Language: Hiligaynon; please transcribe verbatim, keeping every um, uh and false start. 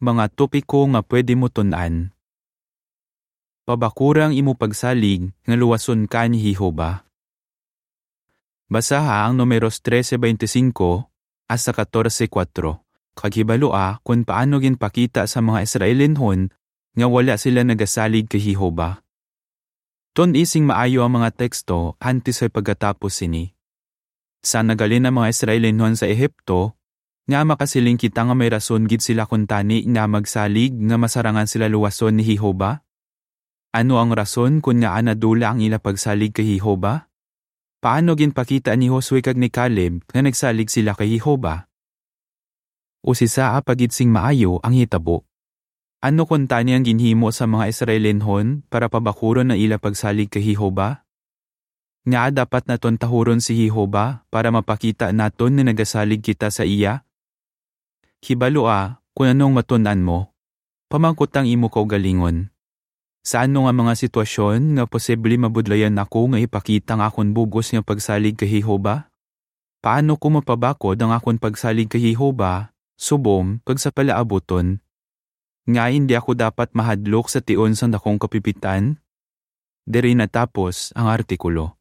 Mga topiko nga pwede mo tun-an. Pabakura ang imo pagsalig nga luwason ka ni Jehovah. Basaha ang Numeros trese veinticinco hasta catorce cuatro, kag hibalua kon paano ginpakita sa mga Israelinhon nga wala sila nagasalig kay Jehovah. Tun-i sing maayo ang mga teksto antes sa pagkatapos sini. Sa nagalin ang mga Israelinhon sa Ehipto, nga makasiling kita nga may rason gid sila kuntani nga magsalig nga masarangan sila luwason ni Jehovah? Ano ang rason kon ngaa nadula ang ila pagsalig kay Jehovah? Paano ginpakita ni Josue kag ni Caleb nga nagsalig sila kay Jehovah? Usisa pa gid sing maayo ang hitabo. Ano kuntani ang ginhimo sa mga Israelinhon para pabakuron ang ila pagsalig kay Jehovah? Ngaa dapat naton tahuron si Jehovah para mapakita naton nga nagasalig kita sa iya? Hibalua kon anong matun-an mo. Pamangkot ang imo kaugalingon. Sa ano nga mga sitwasyon nga posible mabudlayan ako nga ipakita ang akon bug-os nga pagsalig kay Jehovah? Paano ko mapabakod ang akon pagsalig kay Jehovah, subong kag sa palaabuton? Nga hindi ako dapat mahadlok sa tion sang dakong kapipitan? Diri natapos ang artikulo.